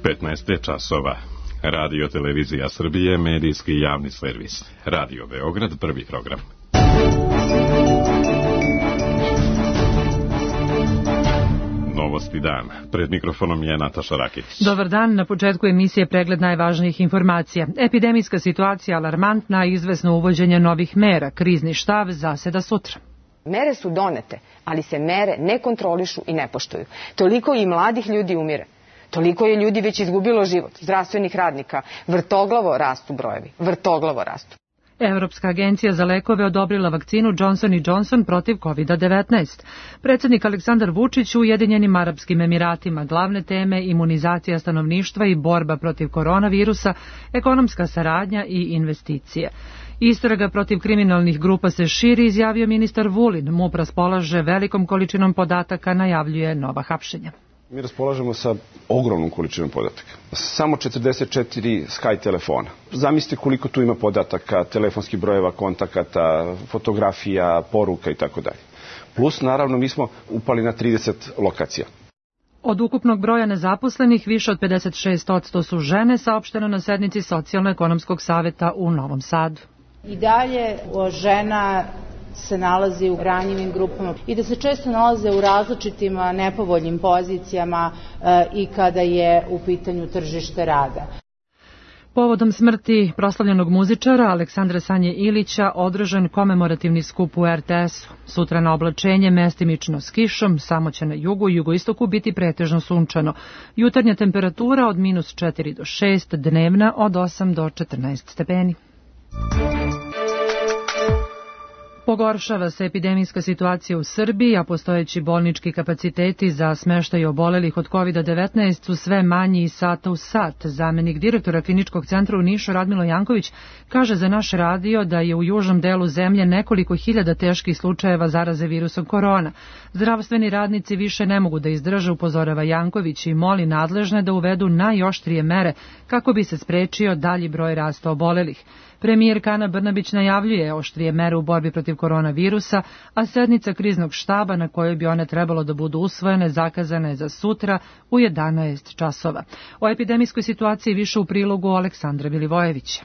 15 je časova. Radio Televizija Srbije, medijski javni servis. Radio Beograd, prvi program. Novosti dan. Pred mikrofonom je Nataša Rakić. Dobar dan. Na početku emisije pregled najvažnijih informacija. Epidemijska situacija alarmantna, izvesno uvođenje novih mera. Krizni štab zaseda sutra. Mere su donete, ali se mere ne kontrolišu i ne poštuju. Toliko i mladih ljudi umire. Toliko je ljudi već izgubilo život, zdravstvenih radnika. Vrtoglavo rastu brojevi. Vrtoglavo rastu. Evropska agencija za lekove odobrila vakcinu Johnson & Johnson protiv COVID-19. Predsjednik Aleksandar Vučić u Ujedinjenim Arapskim Emiratima. Glavne teme imunizacija stanovništva i borba protiv koronavirusa, ekonomska saradnja i investicije. Istraga protiv kriminalnih grupa se širi, izjavio ministar Vulin. MUP raspolaže velikom količinom podataka, najavljuje nova hapšenja. Mi raspolažemo sa ogromnom količinom podataka. Samo 44 Sky telefona. Zamislite koliko tu ima podataka, telefonskih brojeva, kontakata, fotografija, poruka i tako dalje. Plus, naravno, mi smo upali na 30 lokacija. Od ukupnog broja nezaposlenih, više od 56% su žene, saopšteno na sednici Socijalno-ekonomskog saveta u Novom Sadu. I dalje žena se nalazi u ranjivim grupama i da se često nalaze u različitim nepovoljnim pozicijama i kada je u pitanju tržište rada. Povodom smrti proslavljenog muzičara Aleksandra Sanje Ilića održan komemorativni skup u RTS-u. Sutra na oblačenje mestimično s kišom, samo će na jugu i jugoistoku biti pretežno sunčano. Jutarnja temperatura od -4 do 6, dnevna od 8 do 14 stepeni. Pogoršava se epidemijska situacija u Srbiji, a postojeći bolnički kapaciteti za smeštaj obolelih od COVID-19 su sve manji iz sata u sat. Zamenik direktora kliničkog centra u Nišu Radmilo Janković kaže za naš radio da je u južnom delu zemlje nekoliko hiljada teških slučajeva zaraze virusom korona. Zdravstveni radnici više ne mogu da izdrže, upozorava Janković i moli nadležne da uvedu najoštrije mere kako bi se sprečio dalji broj rasta obolelih. Premijerka Ana Brnabić najavljuje oštrije mere u borbi protiv koronavirusa, a sednica kriznog štaba na kojoj bi one trebalo da budu usvojene zakazana je za sutra u 11 časova. O epidemijskoj situaciji više u prilogu Aleksandra Milivojevića.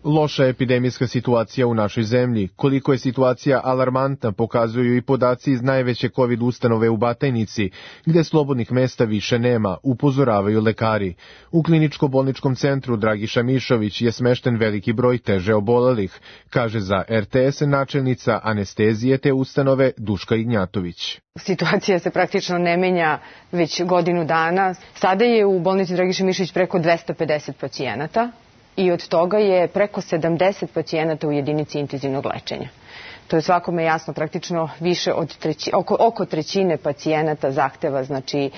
Loša epidemijska situacija u našoj zemlji. Koliko je situacija alarmantna pokazuju i podaci iz najveće COVID ustanove u Batajnici, gde slobodnih mesta više nema, upozoravaju lekari. U kliničko-bolničkom centru Dragiša Mišović je smešten veliki broj teže obolelih, kaže za RTS načelnica anestezije te ustanove Duška Ignjatović. Situacija se praktično ne menja već godinu dana. Sada je u bolnici Dragiša Mišović preko 250 pacijenata. I od toga je preko 70 pacijenata u jedinici intenzivnog lečenja. To je svakome jasno, praktično više od oko trećine pacijenata zahteva znači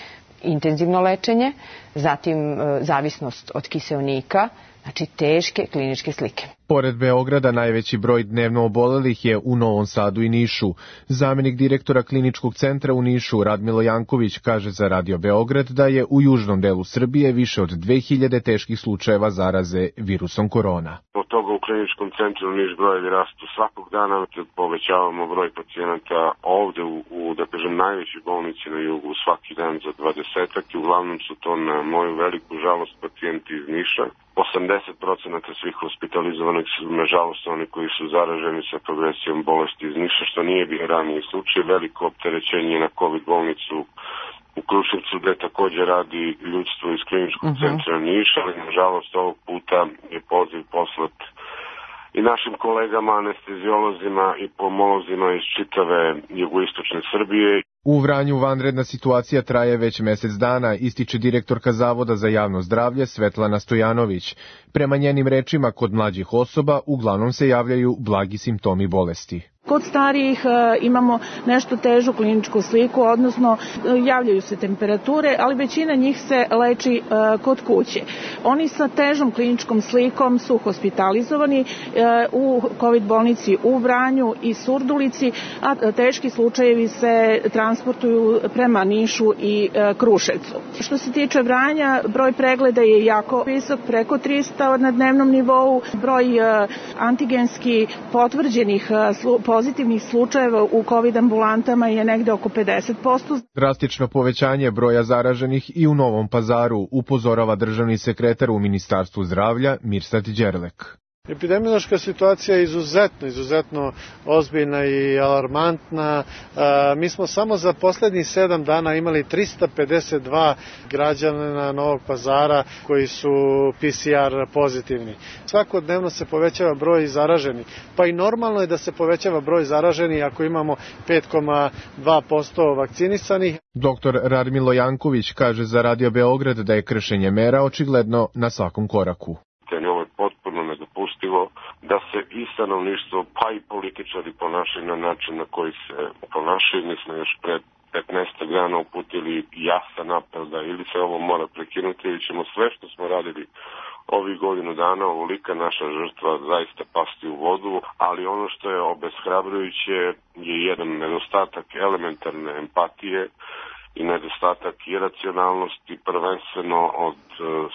intenzivno lečenje, zatim zavisnost od kiseonika, znači teške kliničke slike. Pored Beograda najveći broj dnevno obolelih je u Novom Sadu i Nišu. Zamenik direktora kliničkog centra u Nišu Radmilo Janković kaže za Radio Beograd da je u južnom delu Srbije više od 2000 teških slučajeva zaraze virusom korona. Od toga u kliničkom centru Niš brojevi rastu svakog dana, povećavamo broj pacijenata ovde u da kažem najvećoj bolnici na jugu svaki dan za 20-ak i uglavnom su to na moju veliku žalost pacijenti iz Niša. 80% svih hospitalizovanih su nažalost oni koji su zaraženi sa progresijom bolesti iz Niša, što nije bio raniji slučaj. Veliko opterećenje na COVID bolnicu u Kruševcu, gde također radi ljudstvo iz kliničkog centra Niša, ali nažalost ovog puta je poziv poslat i našim kolegama, anesteziolozima i pomolozima iz čitave jugoistočne Srbije. U Vranju vanredna situacija traje već mesec dana, ističe direktorka Zavoda za javno zdravlje Svetlana Stojanović. Prema njenim rečima, kod mlađih osoba uglavnom se javljaju blagi simptomi bolesti. Kod starijih imamo nešto težu kliničku sliku, odnosno javljaju se temperature, ali većina njih se leči kod kuće. Oni sa težom kliničkom slikom su hospitalizovani u COVID bolnici u Vranju i Surdulici, a teški slučajevi se transportuju prema Nišu i Kruševcu. Što se tiče Vranja, broj pregleda je jako visok, preko 300 na dnevnom nivou. Broj antigenski potvrđenih pozitivnih slučajeva u COVID ambulantama je negde oko 50%. Drastično povećanje broja zaraženih i u Novom Pazaru, upozorava državni sekretar u Ministarstvu zdravlja Mirsad Đerlek. Epidemiološka situacija je izuzetno ozbiljna i alarmantna. Mi smo samo za poslednjih 7 dana imali 352 građana Novog Pazara koji su PCR pozitivni. Svakodnevno se povećava broj zaraženih, pa i normalno je da se povećava broj zaraženih ako imamo 5,2% vakcinisanih. Dr. Radmilo Janković kaže za Radio Beograd da je kršenje mera očigledno na svakom koraku. Ovo je potpuno nedopustivo da se i stanovništvo pa i političari ponašaju na način na koji se ponašaju. Mi smo još pred 15 dana uputili jasan apel da ili se ovo mora prekinuti ili ćemo sve što smo radili ovih godinu dana, ovolika naša žrtva zaista pasti u vodu, ali ono što je obeshrabrujuće je jedan nedostatak elementarne empatije i nedostatak iracionalnosti, prvenstveno od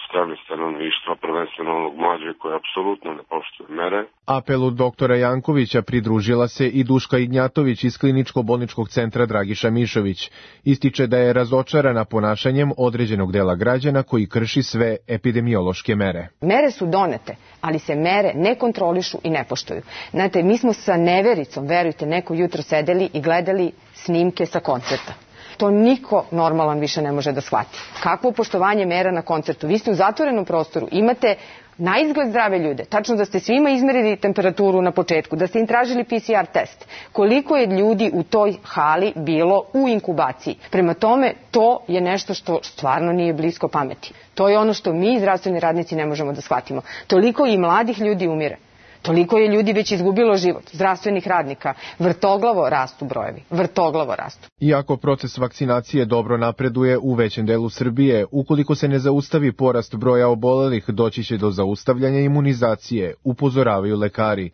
strane stanovništva, prvenstveno onog mlađe koje apsolutno ne poštuje mere. Apelu doktora Jankovića pridružila se i Duška Ignjatović iz Kliničko-bolničkog centra Dragiša Mišović. Ističe da je razočarana ponašanjem određenog dela građana koji krši sve epidemiološke mere. Mere su donete, ali se mere ne kontrolišu i ne poštuju. Znate, mi smo sa nevericom, verujte, neko jutro sedeli i gledali snimke sa koncerta. To niko normalan više ne može da shvati. Kakvo poštovanje mera na koncertu? Vi ste u zatvorenom prostoru, imate na izgled zdrave ljude, tačno da ste svima izmerili temperaturu na početku, da ste im tražili PCR test. Koliko je ljudi u toj hali bilo u inkubaciji? Prema tome, to je nešto što stvarno nije blisko pameti. To je ono što mi, zdravstveni radnici, ne možemo da shvatimo. Toliko i mladih ljudi umire. Toliko je ljudi već izgubilo život, zdravstvenih radnika. Vrtoglavo rastu brojevi, vrtoglavo rastu. Iako proces vakcinacije dobro napreduje u većem delu Srbije, ukoliko se ne zaustavi porast broja obolelih, doći će do zaustavljanja imunizacije, upozoravaju lekari.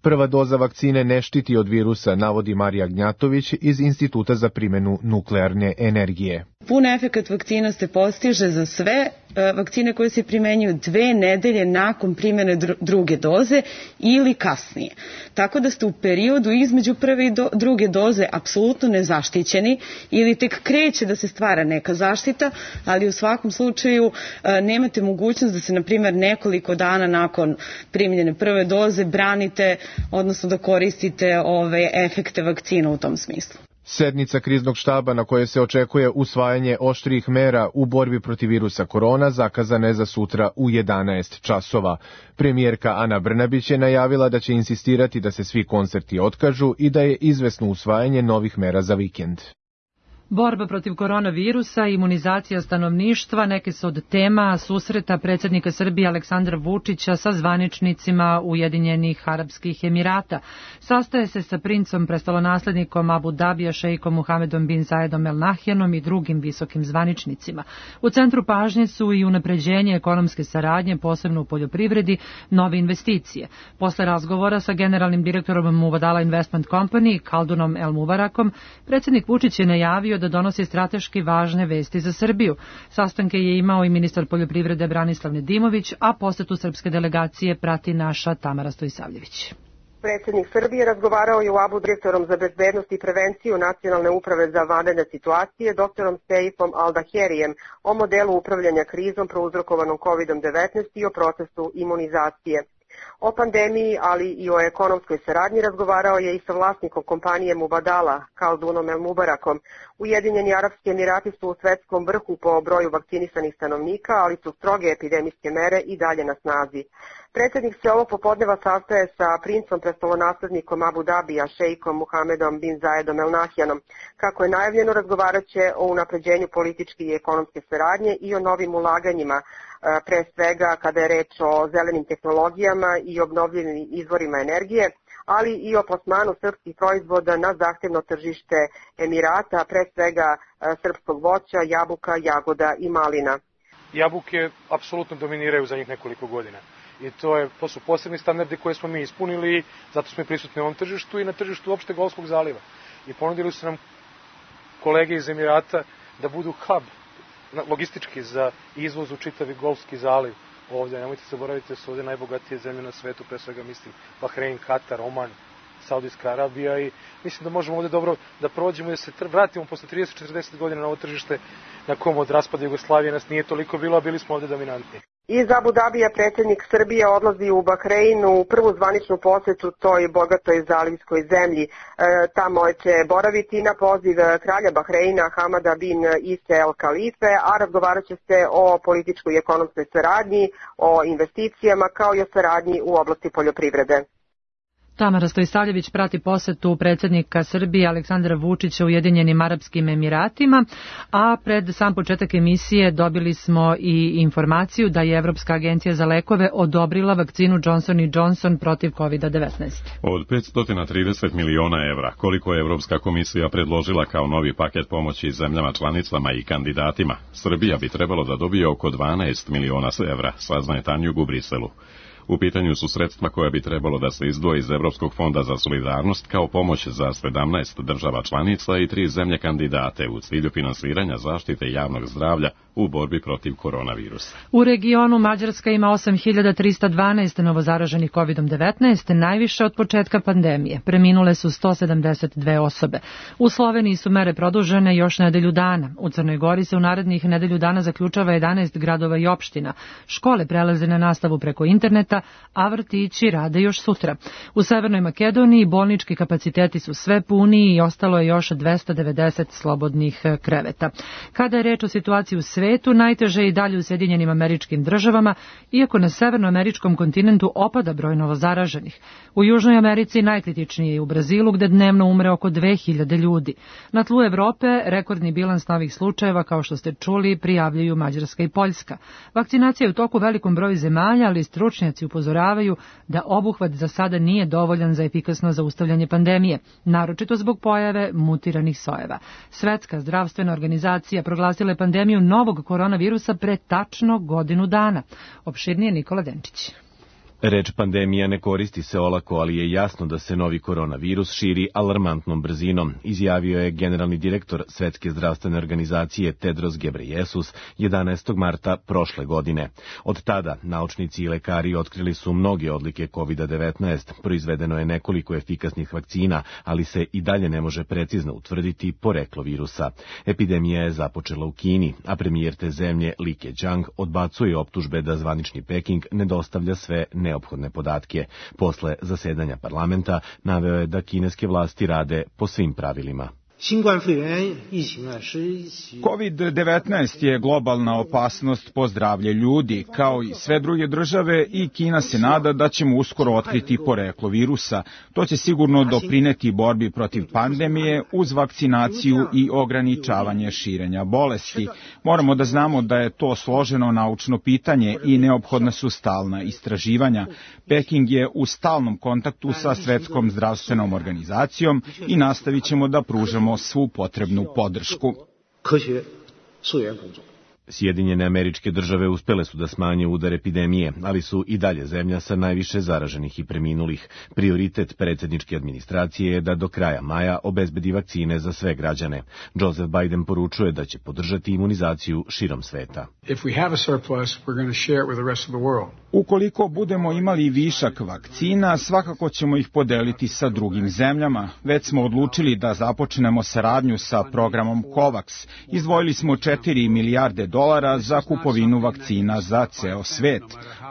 Prva doza vakcine ne štiti od virusa, navodi Marija Gnjatović iz Instituta za primjenu nuklearne energije. Pun efekat vakcina se postiže za sve vakcine koje se primenjuju 2 nedelje nakon primjene druge doze ili kasnije. Tako da ste u periodu između prve i druge doze apsolutno nezaštićeni ili tek kreće da se stvara neka zaštita, ali u svakom slučaju nemate mogućnost da se, na primjer, nekoliko dana nakon primljene prve doze branite, odnosno da koristite ove efekte vakcina u tom smislu. Sednica kriznog štaba na kojoj se očekuje usvajanje oštrijih mera u borbi protiv virusa korona zakazana je za sutra u 11 časova. Premijerka Ana Brnabić je najavila da će insistirati da se svi koncerti otkažu i da je izvesno usvajanje novih mera za vikend. Borba protiv koronavirusa i imunizacija stanovništva neke su od tema susreta predsjednika Srbije Aleksandra Vučića sa zvaničnicima Ujedinjenih Arapskih Emirata. Sastaje se sa princom prestolonaslednikom Abu Dabija šejkom Muhamedom bin Zayedom El Nahjanom i drugim visokim zvaničnicima. U centru pažnje su i unapređenje ekonomske saradnje, posebno u poljoprivredi, nove investicije. Posle razgovora sa generalnim direktorom Mubadala Investment Company, Kaldunom El Mubarakom, predsjednik Vučić je najavio da donosi strateški važne vesti za Srbiju. Sastanke je imao i ministar poljoprivrede Branislav Nedimović, a posetu srpske delegacije prati naša Tamara Stojisavljević. Predsjednik Srbije razgovarao je u Abu direktorom za bezbednost i prevenciju Nacionalne uprave za vanredne situacije, doktorom Seifom Aldaherijem, o modelu upravljanja krizom prouzrokovanom COVID-19 i o procesu imunizacije. O pandemiji, ali i o ekonomskoj saradnji razgovarao je i sa vlasnikom kompanije Mubadala, Kaldunom El Mubarakom. Ujedinjeni Arapski Emirati su u svetskom vrhu po broju vakcinisanih stanovnika, ali su stroge epidemijske mere i dalje na snazi. Predsjednik se ovog popodneva sastaje sa princom prestolonaslednikom Abu Dabija, šejkom Muhamedom bin Zayedom El Nahjanom. Kako je najavljeno, razgovarat će o unapređenju političke i ekonomske saradnje i o novim ulaganjima, pre svega kada je reč o zelenim tehnologijama i obnovljivim izvorima energije, ali i o plasmanu srpskih proizvoda na zahtevno tržište Emirata, pre svega srpskog voća, jabuka, jagoda i malina. Jabuke apsolutno dominiraju za njih nekoliko godina. I to su posebni standardi koje smo mi ispunili, zato smo i prisutni na ovom tržištu i na tržištu uopšte Golfskog zaliva. I ponudili su nam kolege iz Emirata da budu hub logistički za izvoz u čitavi Golfski zaliv. Ovdje, nemojte zaboraviti da su ovdje najbogatije zemlje na svetu, pre svega mislim Bahrein, Katar, Oman, Saudijska Arabija i mislim da možemo ovde dobro da prođemo i da se vratimo posle 30-40 godina na ovo tržište na kom od raspada Jugoslavije nas nije toliko bilo, a bili smo ovde dominantni. Iz Abu Dabija predsjednik Srbije odlazi u Bahrein u prvu zvaničnu posetu toj bogatoj zalivskoj zemlji. Tamo će boraviti na poziv kralja Bahreina Hamada bin Ise El Khalife, a razgovarat će se o političkoj i ekonomskoj saradnji, o investicijama kao i o saradnji u oblasti poljoprivrede. Tamara Stojsavljević prati posetu predsjednika Srbije Aleksandra Vučića u Ujedinjenim Arapskim Emiratima, a pred sam početak emisije dobili smo i informaciju da je Evropska agencija za lekove odobrila vakcinu Johnson & Johnson protiv COVID-19. Od 530 miliona evra, koliko je Evropska komisija predložila kao novi paket pomoći zemljama članicama i kandidatima, Srbija bi trebalo da dobije oko 12 miliona evra, saznaje Tanjug u Briselu. U pitanju su sredstva koja bi trebalo da se izdvoji iz Evropskog fonda za solidarnost kao pomoć za 17 država članica i 3 zemlje kandidate u cilju finansiranja zaštite javnog zdravlja u borbi protiv koronavirusa. U regionu Mađarska ima 8.312 novozaraženih COVID-19, najviše od početka pandemije. Preminule su 172 osobe. U Sloveniji su mere produžene još nedelju dana. U Crnoj Gori se u narednih nedelju dana zaključava 11 gradova i opština. Škole prelaze na nastavu preko interneta, a vrtići rade još sutra. U Severnoj Makedoniji bolnički kapaciteti su sve puniji i ostalo je još 290 slobodnih kreveta. Kada je reč o situaciji u svetu, najteže je i dalje u Sjedinjenim Američkim Državama, iako na severnoameričkom kontinentu opada broj novozaraženih. U Južnoj Americi najkritičnije je u Brazilu, gde dnevno umre oko 2000 ljudi. Na tlu Evrope rekordni bilans novih slučajeva, kao što ste čuli, prijavljuju Mađarska i Poljska. Vakcinacija je u toku velikom broju zemalja, ali stručnjaci upozoravaju da obuhvat za sada nije dovoljan za efikasno zaustavljanje pandemije, naročito zbog pojave mutiranih sojeva. Svetska zdravstvena organizacija proglasila je pandemiju novog koronavirusa pre tačno godinu dana. Opširnije Nikola Denčić. Reč pandemija ne koristi se olako, ali je jasno da se novi koronavirus širi alarmantnom brzinom, izjavio je generalni direktor Svetske zdravstvene organizacije Tedros Ghebreyesus 11. marta prošle godine. Od tada naučnici i lekari otkrili su mnoge odlike COVID-19, proizvedeno je nekoliko efikasnih vakcina, ali se i dalje ne može precizno utvrditi poreklo virusa. Epidemija je započela u Kini, a premijer te zemlje Li Keqiang odbacuje optužbe da zvanični Peking ne dostavlja sve neophodne podatke. Posle zasedanja parlamenta naveo je da kineske vlasti rade po svim pravilima. COVID-19 je globalna opasnost po zdravlje ljudi, kao i sve druge države, i Kina se nada da ćemo uskoro otkriti poreklo virusa. To će sigurno doprineti borbi protiv pandemije uz vakcinaciju i ograničavanje širenja bolesti. Moramo da znamo da je to složeno naučno pitanje i neophodna su stalna istraživanja. Peking je u stalnom kontaktu sa Svetskom zdravstvenom organizacijom i nastavit ćemo da pružamo svu potrebnu podršku. Sjedinjene Američke Države uspele su da smanje udar epidemije, ali su i dalje zemlja sa najviše zaraženih i preminulih. Prioritet predsjedničke administracije je da do kraja maja obezbedi vakcine za sve građane. Joseph Biden poručuje da će podržati imunizaciju širom sveta. Ukoliko budemo imali višak vakcina, svakako ćemo ih podeliti sa drugim zemljama. Već smo odlučili da započnemo saradnju sa programom COVAX. Izdvojili smo $4 milijarde za kupovinu vakcina za ceo svet.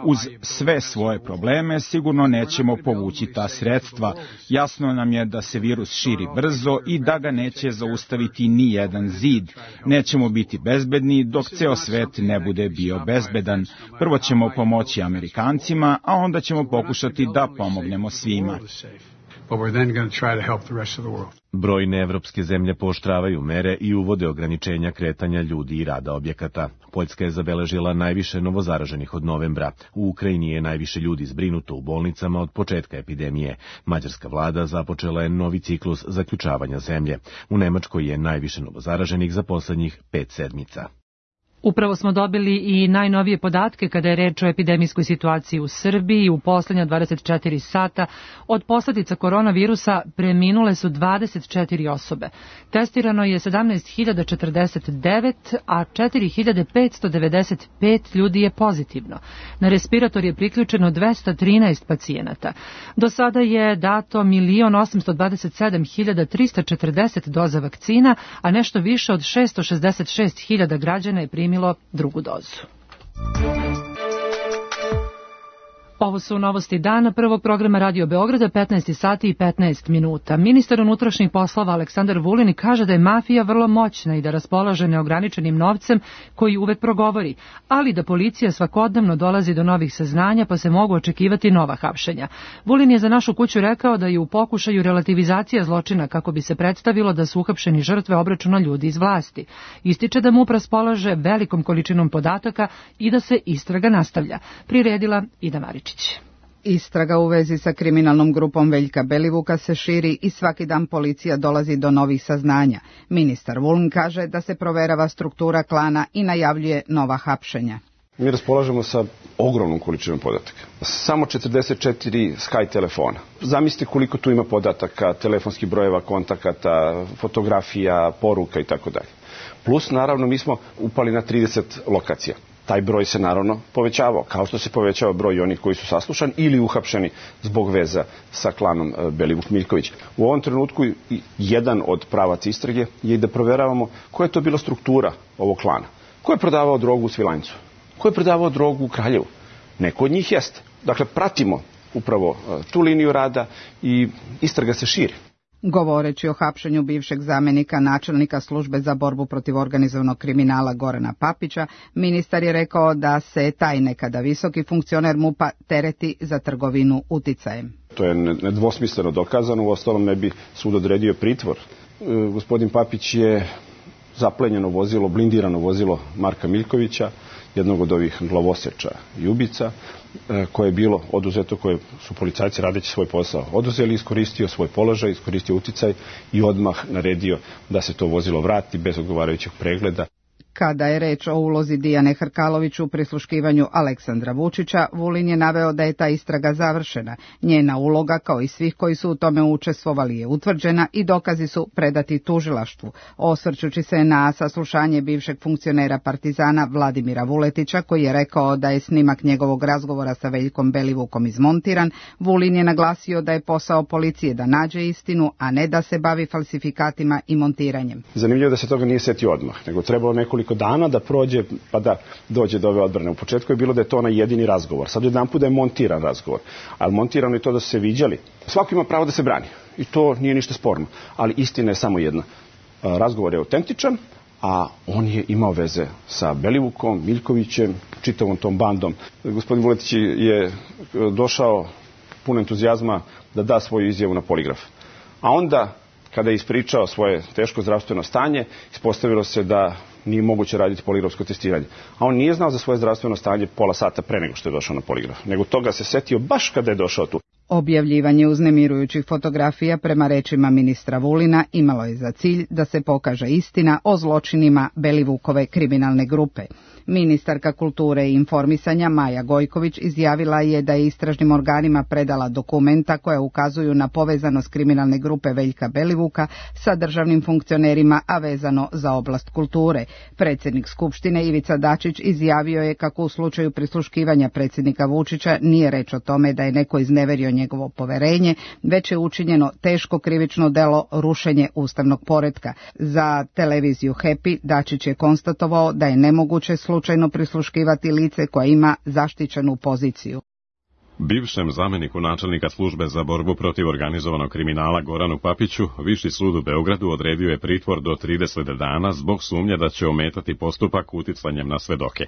Uz sve svoje probleme sigurno nećemo povući ta sredstva. Jasno nam je da se virus širi brzo i da ga neće zaustaviti ni jedan zid. Nećemo biti bezbedni dok ceo svet ne bude bio bezbedan. Prvo ćemo pomoći Amerikancima, a onda ćemo pokušati da pomognemo svima. Brojne evropske zemlje pooštravaju mere i uvode ograničenja kretanja ljudi i rada objekata. Poljska je zabeležila najviše novozaraženih od novembra. U Ukrajini je najviše ljudi zbrinuto u bolnicama od početka epidemije. Mađarska vlada započela je novi ciklus zaključavanja zemlje. U Nemačkoj je najviše novozaraženih za poslednjih 5 sedmica. Upravo smo dobili i najnovije podatke kada je reč o epidemijskoj situaciji u Srbiji. U poslednja 24 sata od posledica koronavirusa preminule su 24 osobe. Testirano je 17.049, a 4.595 ljudi je pozitivno. Na respirator je priključeno 213 pacijenata. Do sada je dato 1.827.340 doza vakcina, a nešto više od 666.000 građana je primilo drugu dozu. Ovo su novosti dana prvog programa Radio Beograda, 15 sati i 15 minuta. Ministar unutrašnjih poslova Aleksandar Vulin kaže da je mafija vrlo moćna i da raspolaže neograničenim novcem koji uvek progovori, ali da policija svakodnevno dolazi do novih saznanja pa se mogu očekivati nova hapšenja. Vulin je za Našu kuću rekao da je u pokušaju relativizacija zločina kako bi se predstavilo da su uhapšeni žrtve obračuna ljudi iz vlasti. Ističe da MUP raspolaže velikom količinom podataka i da se istraga nastavlja. Priredila Ida Marić. Istraga u vezi sa kriminalnom grupom Veljka Belivuka se širi i svaki dan policija dolazi do novih saznanja. Ministar Vulin kaže da se proverava struktura klana i najavljuje nova hapšenja. Mi raspolažemo sa ogromnom količinom podataka. Samo 44 Sky telefona. Zamislite koliko tu ima podataka, telefonskih brojeva, kontakata, fotografija, poruka i tako dalje. Plus, naravno, mi smo upali na 30 lokacija. Taj broj se naravno povećavao, kao što se povećava broj onih koji su saslušani ili uhapšeni zbog veza sa klanom Belivuk-Miljković. U ovom trenutku jedan od pravaca istrage je i da proveravamo koja je to bila struktura ovog klana. Ko je prodavao drogu u Svilajncu? Ko je prodavao drogu u Kraljevu? Neko od njih jeste. Dakle, pratimo upravo tu liniju rada i istraga se širi. Govoreći o hapšenju bivšeg zamenika načelnika službe za borbu protiv organizovanog kriminala Gorana Papića, ministar je rekao da se taj nekada visoki funkcioner MUP-a tereti za trgovinu uticajem. To je nedvosmisleno dokazano, uostalom ne bi sud odredio pritvor. Gospodin Papić je zaplenjeno vozilo, blindirano vozilo Marka Miljkovića, jednog od ovih glavoseča i ubica, koje je bilo oduzeto, koje su policajci radeći svoj posao oduzeli, iskoristio svoj položaj, iskoristio uticaj i odmah naredio da se to vozilo vrati bez odgovarajućeg pregleda. Kada je reč o ulozi Dijane Hrkalović u prisluškivanju Aleksandra Vučića, Vulin je naveo da je ta istraga završena. Njena uloga, kao i svih koji su u tome učestvovali, je utvrđena i dokazi su predati tužilaštvu. Osvrćući se na saslušanje bivšeg funkcionera Partizana Vladimira Vuletića, koji je rekao da je snimak njegovog razgovora sa Veljkom Belivukom izmontiran, Vulin je naglasio da je posao policije da nađe istinu, a ne da se bavi falsifikatima i montiranjem. Zanimljivo da se toga nije setio odmah, nego trebalo nekoliko dana da prođe pa da dođe do ove odbrane. U početku je bilo da je to onaj jedini razgovor. Sad jedanput da je montiran razgovor. Ali montirano je to da su se viđali. Svako ima pravo da se brani. I to nije ništa sporno. Ali istina je samo jedna. Razgovor je autentičan, a on je imao veze sa Belivukom, Miljkovićem, čitavom tom bandom. Gospodin Vuletić je došao pun entuzijazma da da svoju izjavu na poligraf. A onda, kada je ispričao svoje teško zdravstveno stanje, ispostavilo se da nije moguće raditi poligrafsko testiranje. A on nije znao za svoje zdravstveno stanje pola sata pre nego što je došao na poligraf. Nego toga se setio baš kada je došao tu. Objavljivanje uznemirujućih fotografija prema rečima ministra Vulina imalo je za cilj da se pokaže istina o zločinima Belivukove kriminalne grupe. Ministarka kulture i informisanja Maja Gojković izjavila je da je istražnim organima predala dokumenta koja ukazuju na povezanost kriminalne grupe Veljka Belivuka sa državnim funkcionerima, a vezano za oblast kulture. Predsjednik Skupštine Ivica Dačić izjavio je kako u slučaju prisluškivanja predsjednika Vučića nije reč o tome da je neko izneverio njegovo poverenje, već je učinjeno teško krivično delo rušenje ustavnog poretka. Za televiziju Happy Dačić je konstatovao da je nemoguće slučajno prisluškivati lice koje ima zaštićenu poziciju. Bivšem zameniku načelnika službe za borbu protiv organizovanog kriminala Goranu Papiću Viši sud u Beogradu odredio je pritvor do 30 dana zbog sumnje da će ometati postupak uticanjem na svedoke.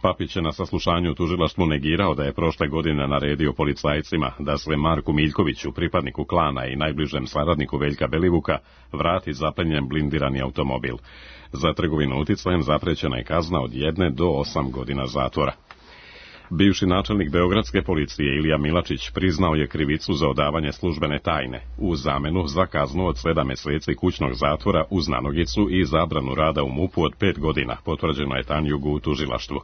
Papić je na saslušanju u tužilaštvu negirao da je prošle godine naredio policajcima da se Marku Miljkoviću, pripadniku klana i najbližem saradniku Veljka Belivuka, vrati zaplenjen blindirani automobil. Za trgovinu uticajem zaprećena je kazna od 1 do 8 godina zatvora. Bivši načelnik beogradske policije Ilija Milačić priznao je krivicu za odavanje službene tajne u zamenu za kaznu od 7 meseci kućnog zatvora uz nanogicu i zabranu rada u MUP-u od 5 godina, potvrđeno je Tanjugu u tužilaštvu.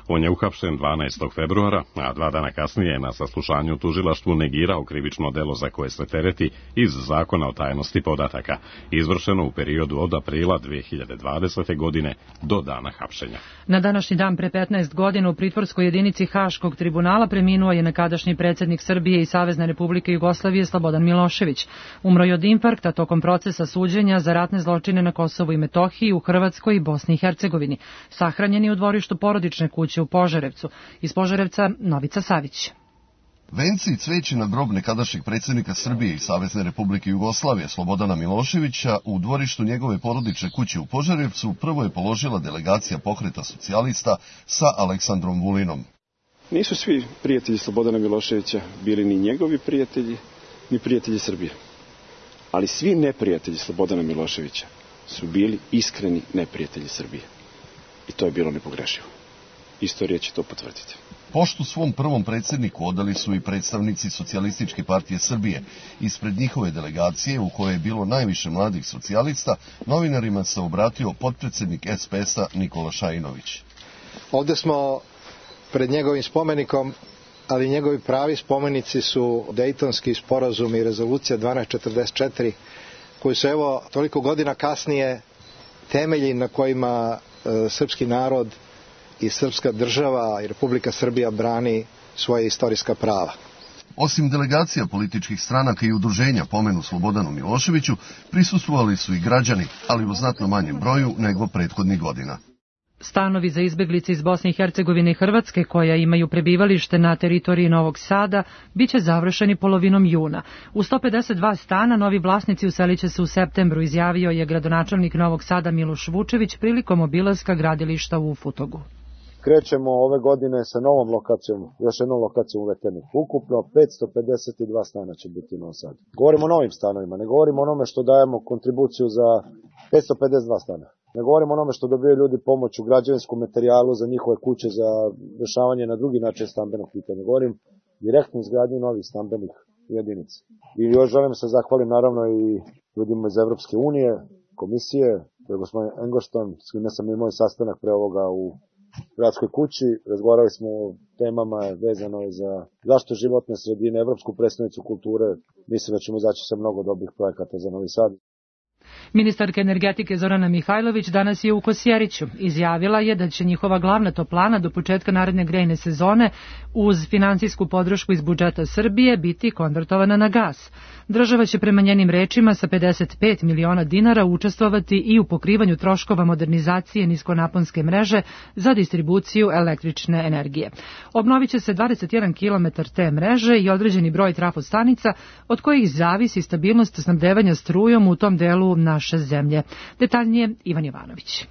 On je uhapšen 12. februara, a 2 dana kasnije je na saslušanju u tužilaštvu negirao krivično delo za koje se tereti iz Zakona o tajnosti podataka, izvršeno u periodu od aprila 2020. godine do dana hapšenja. Na današnji dan pre 15 godina u pritvorskoj jedinici Haškog tribunala preminuo je nekadašnji predsjednik Srbije i Savezne Republike Jugoslavije Slobodan Milošević. Umro je od infarkta tokom procesa suđenja za ratne zločine na Kosovu i Metohiji, u Hrvatskoj i Bosni i Hercegovini. Sahranjen je u dvorištu porodične kuće u Požarevcu. Iz Požarevca Novica Savić. Venci i cveći na grob nekadašnjeg predsjednika Srbije i Savezne Republike Jugoslavije Slobodana Miloševića u dvorištu njegove porodične kuće u Požarevcu prvo je položila delegacija Pokreta socijalista sa Aleksandrom Vulinom. Nisu svi prijatelji Slobodana Miloševića bili ni njegovi prijatelji, ni prijatelji Srbije. Ali svi neprijatelji Slobodana Miloševića su bili iskreni neprijatelji Srbije. I to je bilo nepogrešivo. Istorija će to potvrditi. Poštu svom prvom predsjedniku odali su i predstavnici Socijalističke partije Srbije. Ispred njihove delegacije, u kojoj je bilo najviše mladih socijalista, novinarima se obratio potpredsjednik SPS-a Nikola Šajinović. Ovdje smo pred njegovim spomenikom, ali njegovi pravi spomenici su Dejtonski sporazum i rezolucija 1244, koji su evo toliko godina kasnije temelji na kojima srpski narod i srpska država i Republika Srbija brani svoje istorijska prava. Osim delegacija političkih stranaka i udruženja pomenu Slobodanu Miloševiću, prisustvovali su i građani, ali u znatno manjem broju nego prethodnih godina. Stanovi za izbeglice iz Bosne i Hercegovine i Hrvatske, koja imaju prebivalište na teritoriji Novog Sada, biće završeni polovinom juna. U 152 stana novi vlasnici uselit će se u septembru, izjavio je gradonačelnik Novog Sada Miloš Vučević prilikom obilaska gradilišta u Futogu. Krećemo ove godine sa novom lokacijom, još jednom lokacijom u Veterniku. Ukupno 552 stana će biti u Novom Sadu. Govorimo o novim stanovima, ne govorimo o onome što dajemo kontribuciju za 552 stana. Ne govorimo o onome što dobiju ljudi pomoć u građevinskom materijalu za njihove kuće, za rešavanje na drugi način stambenog pitanja. Govorim direktno izgradnju novih stambenih jedinica. I još želim se zahvalim naravno i ljudima iz Evropske unije, komisije, to je gospodin Engošton, s kime sam imao sastanak pre ovoga u gradskoj kući. Razgovarali smo o temama vezano za zaštitu životne sredine, Evropsku predstavnicu kulture. Mislim da ćemo izaći sa mnogo dobrih projekata za Novi Sad. Ministarka energetike Zorana Mihajlović danas je u Kosjeriću. Izjavila je da će njihova glavna toplana do početka naredne grejne sezone uz finansijsku podršku iz budžeta Srbije biti konvertovana na gas. Država će prema njenim rečima sa 55 miliona dinara učestvovati i u pokrivanju troškova modernizacije niskonaponske mreže za distribuciju električne energije. Obnovit će se 21 km te mreže i određeni broj trafostanica od kojih zavisi stabilnost snabdevanja strujom u tom delu naše zemlje. Detaljnije Ivan Jovanović.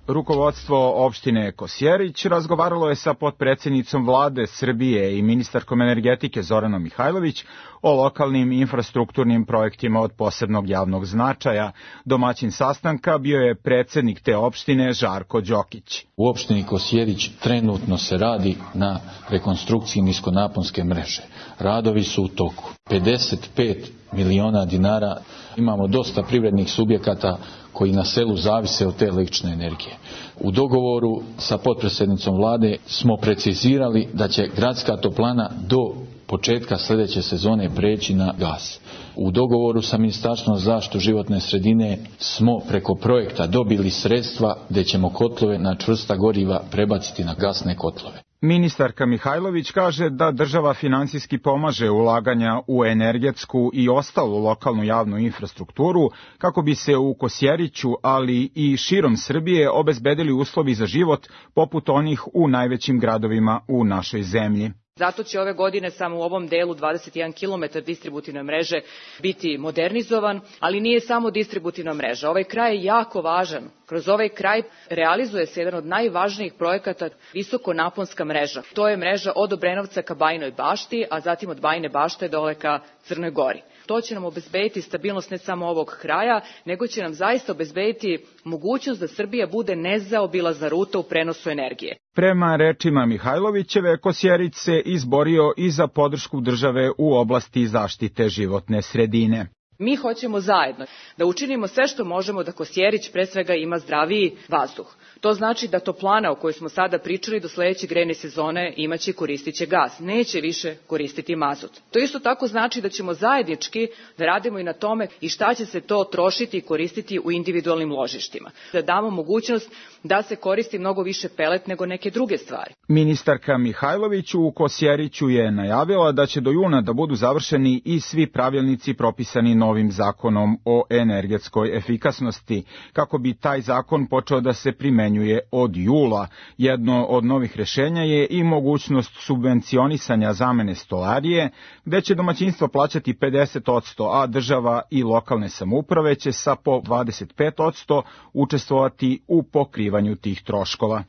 Rukovodstvo opštine Kosjerić razgovaralo je sa potpredsjednicom vlade Srbije i ministarkom energetike Zoranom Mihajlović o lokalnim infrastrukturnim projektima od posebnog javnog značaja. Domaćin sastanka bio je predsjednik te opštine Žarko Đokić. U opštini Kosjerić trenutno se radi na rekonstrukciji niskonaponske mreže. Radovi su u toku. 55 miliona dinara. Imamo dosta privrednih subjekata koji na selu zavise od te električne energije. U dogovoru sa potpredsjednicom vlade smo precizirali da će gradska toplana do početka sljedeće sezone preći na gas. U dogovoru sa Ministarstvom za zaštitu životne sredine smo preko projekta dobili sredstva gdje ćemo kotlove na čvrsta goriva prebaciti na gasne kotlove. Ministarka Mihajlović kaže da država finansijski pomaže ulaganja u energetsku i ostalu lokalnu javnu infrastrukturu kako bi se u Kosjeriću, ali i širom Srbije obezbedili uslovi za život poput onih u najvećim gradovima u našoj zemlji. Zato će ove godine samo u ovom delu 21 km distributivne mreže biti modernizovan, ali nije samo distributivna mreža. Ovaj kraj je jako važan. Kroz ovaj kraj realizuje se jedan od najvažnijih projekata visokonaponska mreža. To je mreža od Obrenovca ka Bajinoj Bašti, a zatim od Bajine Bašte dole ka Crnoj Gori. To će nam obezbediti stabilnost ne samo ovog kraja, nego će nam zaista obezbediti mogućnost da Srbija bude nezaobilazna ruta u prenosu energije. Prema rečima Mihajlovićeve, Kosjerić se izborio i za podršku države u oblasti zaštite životne sredine. Mi hoćemo zajedno da učinimo sve što možemo da Kosjerić pre svega ima zdraviji vazduh. To znači da toplana o kojoj smo sada pričali do sledeće grejne sezone imaće i koristit će gas, neće više koristiti mazut. To isto tako znači da ćemo zajednički da radimo i na tome i šta će se to trošiti i koristiti u individualnim ložištima. Da damo mogućnost da se koristi mnogo više pelet nego neke druge stvari. Ministarka Mihajlović u Kosjeriću je najavila da će do juna da budu završeni i svi pravilnici propisani novim zakonom o energetskoj efikasnosti, kako bi taj zakon počeo da se primenjuje od jula. Jedno od novih rešenja je i mogućnost subvencionisanja zamene stolarije, gde će domaćinstvo plaćati 50%, a država i lokalne samouprave će sa po 25% učestvovati u pokrivanju tih troškova.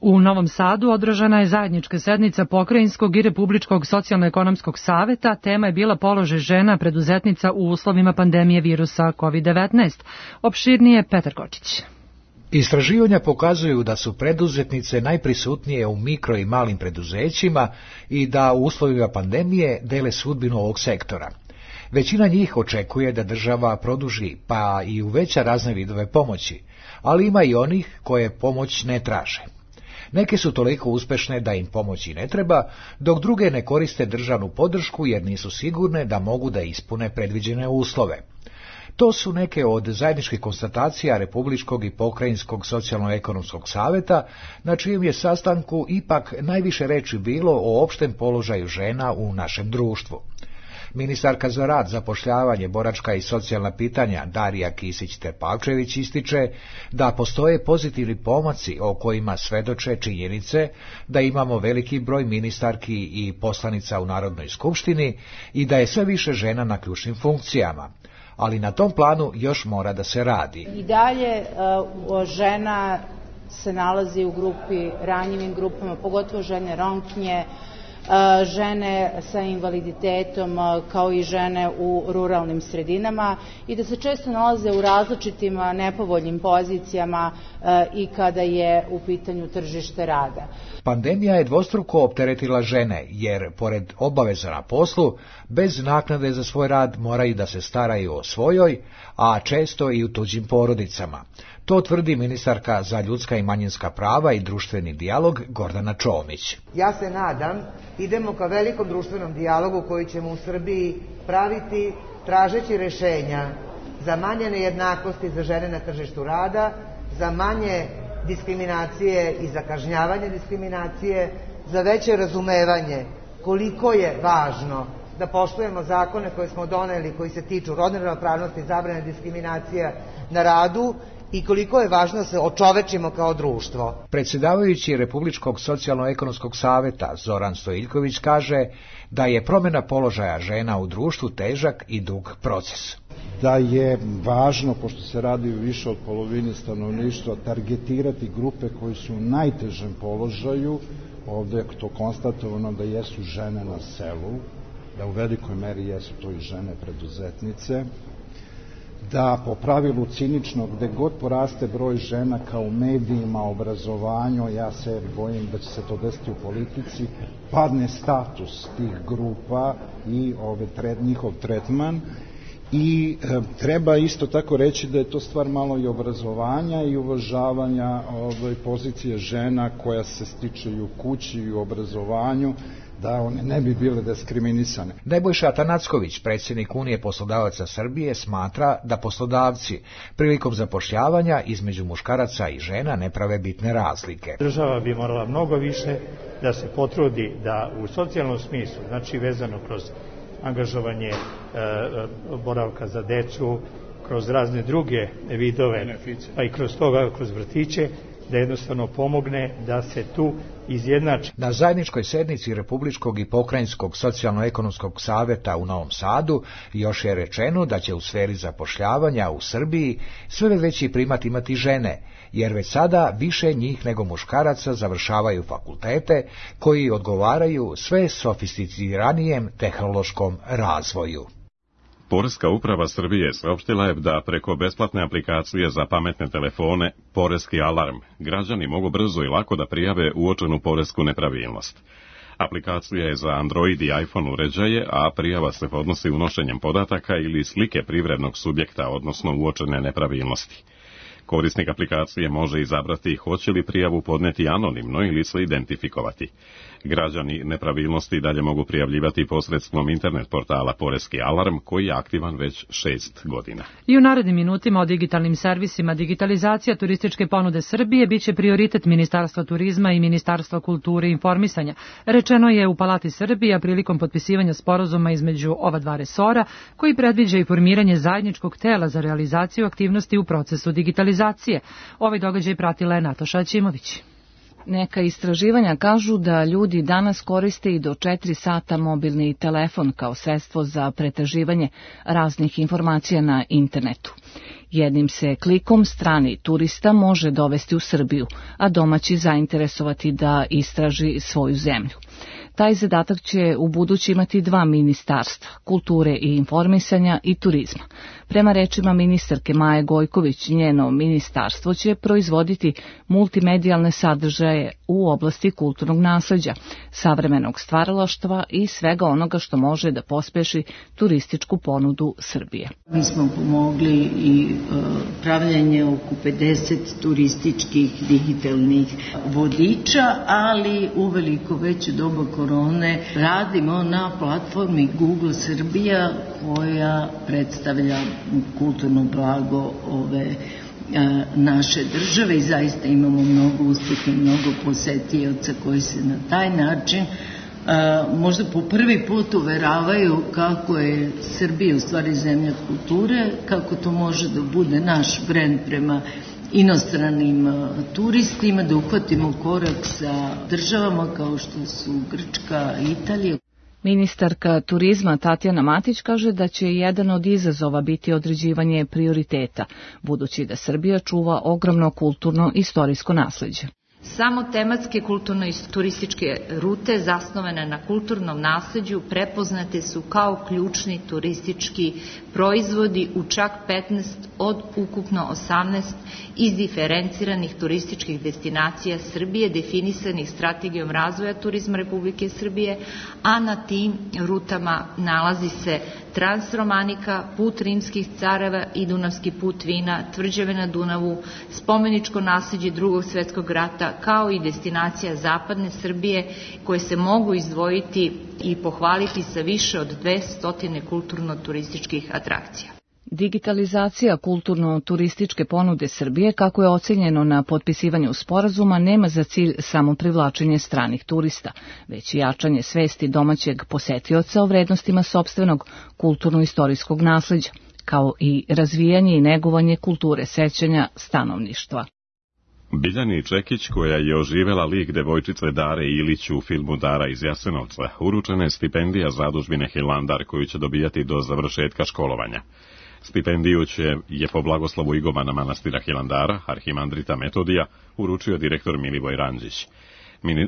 U Novom Sadu održana je zajednička sednica Pokrajinskog i Republičkog socijalno-ekonomskog saveta. Tema je bila položaj žena preduzetnica u uslovima pandemije virusa COVID-19. Opširnije Petar Kočić. Istraživanja pokazuju da su preduzetnice najprisutnije u mikro i malim preduzećima i da u uslovima pandemije dele sudbinu ovog sektora. Većina njih očekuje da država produži pa i uveća razne vidove pomoći, ali ima i onih koje pomoć ne traže. Neke su toliko uspešne da im pomoći ne treba, dok druge ne koriste državnu podršku jer nisu sigurne da mogu da ispune predviđene uslove. To su neke od zajedničkih konstatacija Republičkog i Pokrajinskog socijalno-ekonomskog saveta, na čijem je sastanku ipak najviše reči bilo o opštem položaju žena u našem društvu. Ministarka za rad, zapošljavanje, boračka i socijalna pitanja Darija Kisić-Tepavčević ističe da postoje pozitivni pomaci o kojima svedoče činjenice da imamo veliki broj ministarki i poslanica u Narodnoj skupštini i da je sve više žena na ključnim funkcijama. Ali na tom planu još mora da se radi. I dalje žena se nalazi u grupi, ranjivim grupama, pogotovo žene Romkinje, žene sa invaliditetom kao i žene u ruralnim sredinama i da se često nalaze u različitim nepovoljnim pozicijama i kada je u pitanju tržište rada. Pandemija je dvostruko opteretila žene, jer pored obaveza na poslu, bez naknade za svoj rad moraju da se staraju o svojoj, a često i u tuđim porodicama. To tvrdi ministarka za ljudska i manjinska prava i društveni dijalog Gordana Čomić. Ja se nadam, idemo ka velikom društvenom dijalogu koji ćemo u Srbiji praviti tražeći rešenja za manje nejednakosti za žene na tržištu rada, za manje diskriminacije i za kažnjavanje diskriminacije, za veće razumevanje koliko je važno da poštujemo zakone koje smo doneli koji se tiču rodne ravnopravnosti i zabrane diskriminacija na radu i koliko je važno da se očovečimo kao društvo. Predsjedavajući Republičkog socijalno-ekonomskog saveta Zoran Stojiljković kaže da je promjena položaja žena u društvu težak i dug proces. Da je važno, pošto se radi više od polovine stanovništva, targetirati grupe koji su u najtežem položaju. Ovdje je to konstatovano da jesu žene na selu, da u velikoj meri jesu to i žene preduzetnice, da po pravilu cinično gde god poraste broj žena kao u medijima, obrazovanju, ja se bojim da će se to desiti u politici, padne status tih grupa i njihov tretman. I treba isto tako reći da je to stvar malo i obrazovanja i uvažavanja pozicije žena koja se stiče i u kući i u obrazovanju, da one ne bi bile diskriminisane. Nebojša Atanacković, predsjednik Unije poslodavaca Srbije, smatra da poslodavci prilikom zapošljavanja između muškaraca i žena ne prave bitne razlike. Država bi morala mnogo više da se potrudi da u socijalnom smislu, znači vezano kroz angažovanje boravka za decu, kroz razne druge vidove, pa i kroz toga, kroz vrtiće, da jednostavno pomogne da se tu izjednači. Na zajedničkoj sednici Republičkog i Pokrajinskog socijalno-ekonomskog saveta u Novom Sadu još je rečeno da će u sferi zapošljavanja u Srbiji sve veći primat imati žene, jer već sada više njih nego muškaraca završavaju fakultete koji odgovaraju sve sofisticiranijem tehnološkom razvoju. Poreska uprava Srbije saopštila je da preko besplatne aplikacije za pametne telefone Poreski alarm građani mogu brzo i lako da prijave uočenu poresku nepravilnost. Aplikacija je za Android i iPhone uređaje, a prijava se podnosi unošenjem podataka ili slike privrednog subjekta, odnosno uočene nepravilnosti. Korisnik aplikacije može izabrati hoće li prijavu podneti anonimno ili se identifikovati. Građani nepravilnosti dalje mogu prijavljivati posredstvom internet portala Poreski alarm, koji je aktivan već 6 godina. I u narednim minutima o digitalnim servisima digitalizacija turističke ponude Srbije biće prioritet Ministarstva turizma i Ministarstva kulture i informisanja. Rečeno je u Palati Srbija prilikom potpisivanja sporazuma između ova dva resora, koji predviđa i formiranje zajedničkog tela za realizaciju aktivnosti u procesu digitalizacije. Ovaj događaj pratila je Nataša Aćimović. Neka istraživanja kažu da ljudi danas koriste i do 4 sata mobilni telefon kao sredstvo za pretraživanje raznih informacija na internetu. Jednim se klikom strani turista može dovesti u Srbiju, a domaći zainteresovati da istraži svoju zemlju. Taj zadatak će u budući imati 2 ministarstva, kulture i informisanja i turizma. Prema rečima ministarke Maje Gojković, njeno ministarstvo će proizvoditi multimedijalne sadržaje u oblasti kulturnog nasleđa, savremenog stvaralaštva i svega onoga što može da pospeši turističku ponudu Srbije. Mi smo pomogli i pravljanje oko 50 turističkih digitalnih vodiča, ali uveliko već u doba korone radimo na platformi Google Srbija, koja predstavlja kulturno blago ove naše države i zaista imamo mnogo uspeha i mnogo posetioca koji se na taj način možda po prvi put uveravaju kako je Srbija u stvari zemlja kulture, kako to može da bude naš brend prema inostranim turistima, da uhvatimo korak sa državama kao što su Grčka i Italija. Ministarka turizma Tatjana Matić kaže da će jedan od izazova biti određivanje prioriteta, budući da Srbija čuva ogromno kulturno-istorijsko nasleđe. Samo tematske kulturno-turističke rute zasnovane na kulturnom nasleđu prepoznate su kao ključni turistički proizvodi u čak 15 od ukupno 18 izdiferenciranih turističkih destinacija Srbije definisanih strategijom razvoja turizma Republike Srbije, a na tim rutama nalazi se Transromanika, put rimskih careva i Dunavski put vina, tvrđave na Dunavu, spomeničko nasleđe Drugog svjetskog rata, kao i destinacija zapadne Srbije koje se mogu izdvojiti i pohvaliti sa više od 200 kulturno-turističkih atrakcija. Digitalizacija kulturno-turističke ponude Srbije, kako je ocenjeno na potpisivanju sporazuma, nema za cilj samo privlačenje stranih turista, već i jačanje svesti domaćeg posetioca o vrednostima sopstvenog kulturno-istorijskog nasleđa, kao i razvijanje i negovanje kulture sećanja stanovništva. Biljani Čekić, koja je oživela lik devojčice Dare Ilić u filmu Dara iz Jasenovca, uručena je stipendija zadužbine Hilandar, koju će dobijati do završetka školovanja. Stipendiju je po blagoslovu igumana manastira Hilandara, arhimandrita Metodija, uručio direktor Milivoj Ranđić.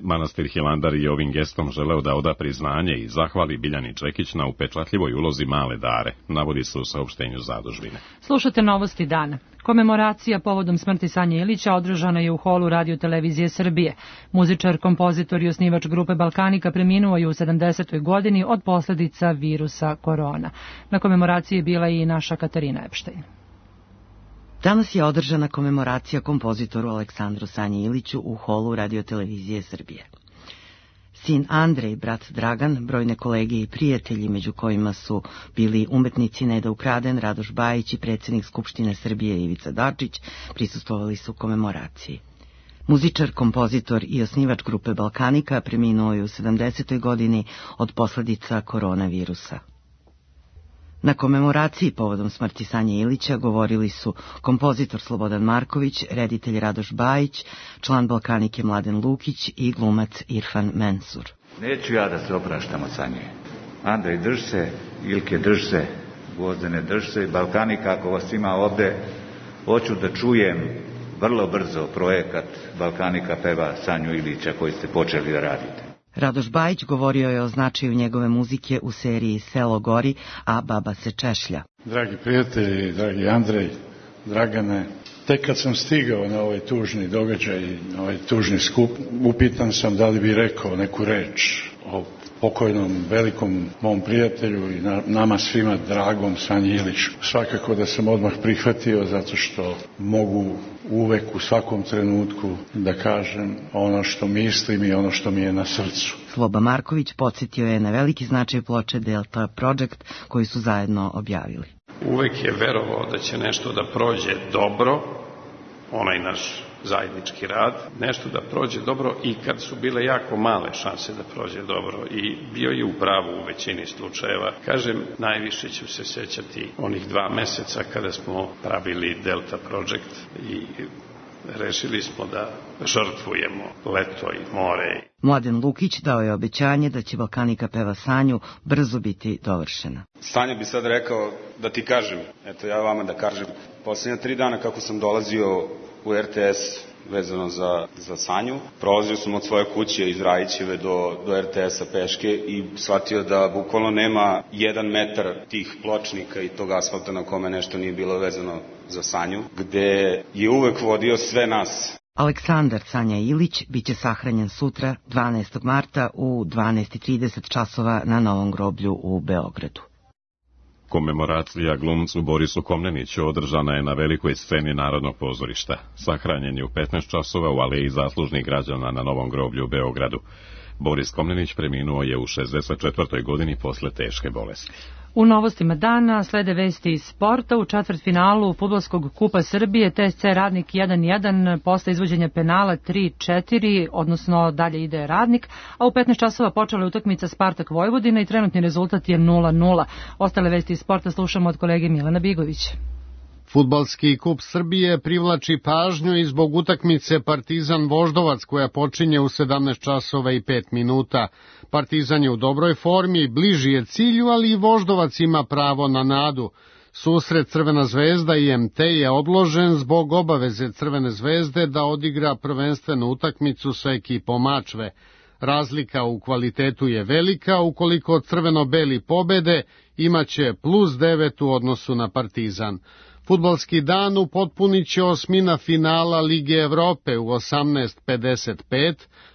Manastir Hilandar je ovim gestom želeo da oda priznanje i zahvali Biljani Čekić na upečatljivoj ulozi male Dare, navodi se u saopštenju zadužbine. Slušate novosti dana. Komemoracija povodom smrti Sanje Ilića održana je u holu Radio Televizije Srbije. Muzičar, kompozitor i osnivač grupe Balkanika preminuo je u 70. godini od posljedica virusa korona. Na komemoraciji je bila i naša Katarina Epštajn. Danas je održana komemoracija kompozitoru Aleksandru Sanji Iliću u holu Radio Televizije Srbije. Sin Andrej, brat Dragan, brojne kolege i prijatelji, među kojima su bili umetnici Neda Ukraden, Radoš Bajić i predsjednik Skupštine Srbije Ivica Dačić, prisustvovali su komemoraciji. Muzičar, kompozitor i osnivač grupe Balkanika preminuo je u 70. godini od posljedica koronavirusa. Na komemoraciji povodom smrti Sanje Ilića govorili su kompozitor Slobodan Marković, reditelj Radoš Bajić, član Balkanike Mladen Lukić i glumac Irfan Mensur. Neću ja da se opraštam od Sanje. Andrej, drž se, Ilke, drž se, Gvozdene, drž se, Balkanika, ako vas ima ovde, hoću da čujem vrlo brzo projekat Balkanika peva Sanju Ilića koji ste počeli da radite. Radoš Bajić govorio je o značaju njegove muzike u seriji Selo gori, a baba se češlja. Dragi prijatelji, dragi Andrej, Dragane, tek kad sam stigao na ovaj tužni događaj, na ovaj tužni skup, upitan sam da li bi rekao neku reč o pokojnom velikom mom prijatelju i nama svima dragom Sanji Iliću. Svakako da sam odmah prihvatio zato što mogu uvek u svakom trenutku da kažem ono što mislim i ono što mi je na srcu. Sloba Marković podsjetio je na veliki značaj ploče Delta Project koju su zajedno objavili. Uvek je verovao da će nešto da prođe dobro, onaj naš zajednički rad, nešto da prođe dobro i kad su bile jako male šanse da prođe dobro i bio je u pravu u većini slučajeva. Kažem, najviše ću se sećati onih 2 meseca kada smo pravili Delta Project i rešili smo da žrtvujemo leto i more. Mladen Lukić dao je obećanje da će Balkanika peva Sanju brzo biti dovršena. Sanja bi sad rekao da ti kažem, eto ja vama da kažem, poslednja 3 dana kako sam dolazio u RTS vezano za Sanju, prolazio sam od svoje kuće iz Rajićeve do RTS-a peške i shvatio da bukvalno nema 1 metar tih pločnika i tog asfalta na kome nešto nije bilo vezano za Sanju, gde je uvek vodio sve nas. Aleksandar Sanja Ilić biće sahranjen sutra 12. marta u 12:30 časova na Novom groblju u Beogradu. Komemoracija glumcu Borisu Komneniću održana je na velikoj sceni Narodnog pozorišta. Sahranjen je u 15 časova u Aleji zaslužnih građana na Novom groblju u Beogradu. Boris Komnenić preminuo je u 64. godini posle teške bolesti. U novostima dana slede vesti iz sporta. U četvrtfinalu Fudbalskog kupa Srbije TSC Radnik 1-1 posle izvođenja penala 3-4, odnosno dalje ide Radnik, a u 15 časova počela je utakmica Spartak Vojvodina i trenutni rezultat je 0-0. Ostale vesti iz sporta slušamo od kolege Milana Bigovića. Fudbalski kup Srbije privlači pažnju i zbog utakmice Partizan Voždovac koja počinje u 17 časova i 5 minuta. Partizan je u dobroj formi, bliži je cilju, ali i Voždovac ima pravo na nadu. Susret Crvena zvezda i MT je odložen zbog obaveze Crvene zvezde da odigra prvenstvenu utakmicu sa ekipom Mačve. Razlika u kvalitetu je velika, ukoliko crveno-beli pobede imaće +9 u odnosu na Partizan. Fudbalski dan upotpunit će osmina finala Lige Evrope u 18:55,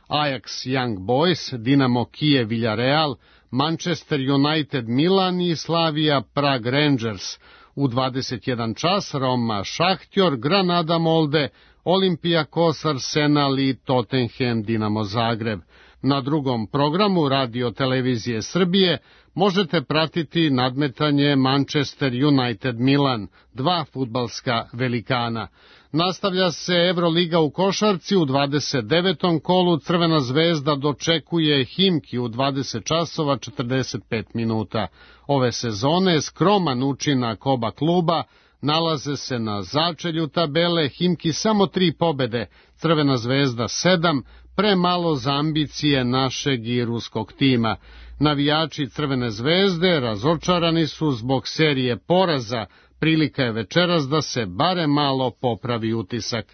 Ajax Young Boys, Dinamo Kijev Villarreal, Manchester United Milan i Slavia Prague Rangers. U 21 čas Roma Šahtjor, Granada Molde, Olympiakos Arsenal i Tottenham Dinamo Zagreb. Na drugom programu Radio Televizije Srbije možete pratiti nadmetanje Manchester United Milan, 2 fudbalska velikana. Nastavlja se Evroliga u košarci, u 29. kolu Crvena zvezda dočekuje Himki u 20 časova 45 minuta. Ove sezone skroman učinak oba kluba, nalaze se na začelju tabele, Himki samo 3 pobede, Crvena zvezda 7, premalo za ambicije našeg i ruskog tima. Navijači Crvene zvezde razočarani su zbog serije poraza, prilika je večeras da se barem malo popravi utisak.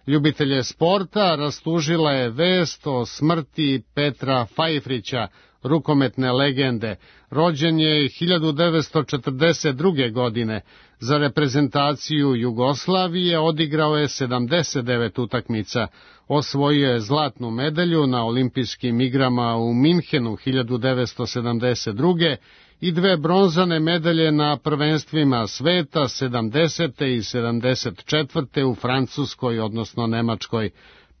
Ljubitelje sporta rastužila je vest o smrti Petra Fajfrića, rukometne legende. Rođen je 1942. godine. Za reprezentaciju Jugoslavije odigrao je 79 utakmica. Osvojio je zlatnu medalju na olimpijskim igrama u Minhenu 1972. i 2 bronzane medalje na prvenstvima sveta 70. i 74. u Francuskoj, odnosno Nemačkoj.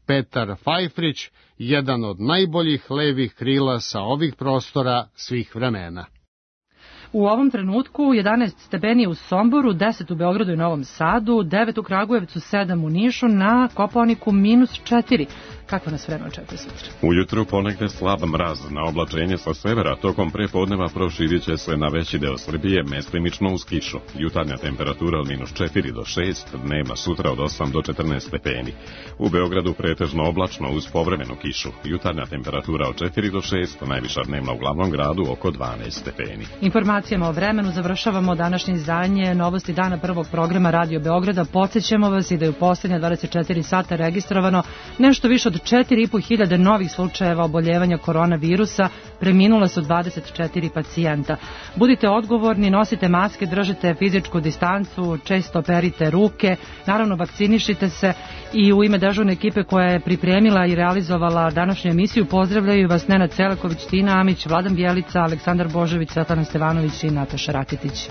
Petar Fajfrić, jedan od najboljih levih krila sa ovih prostora svih vremena. U ovom trenutku 11 stepeni u Somboru, 10 u Beogradu i Novom Sadu, 9 u Kragujevcu, 7 u Nišu, na Kopaoniku -4. Kako nas vreme očekuje sutra? Ujutru ponegde slab mraz, na oblačenje sa severa, tokom prepodneva proširit će se na veći deo Srbije, mestimično uz kišu. Jutarnja temperatura od -4 do 6, dnevna sutra od 8 do 14 stepeni. U Beogradu pretežno oblačno uz povremenu kišu. Jutarnja temperatura od 4 do 6, najviša dnevna u glavnom gradu oko 12 stepeni. Informacijama o vremenu završavamo današnje izdanje Novosti dana prvog programa Radio Beograda. Podsećamo vas i da je u poslednja 24 sata registrovano nešto više od 4.500 novih slučajeva oboljevanja koronavirusa preminula su 24 pacijenta. Budite odgovorni, nosite maske, držite fizičku distancu, često perite ruke, naravno vakcinišite se i u ime dežurne ekipe koja je pripremila i realizovala današnju emisiju pozdravljaju vas Nenad Selaković, Tina Amić, Vladan Bjelica, Aleksandar Božović, Svetlana Stevanović i Nataša Raketić.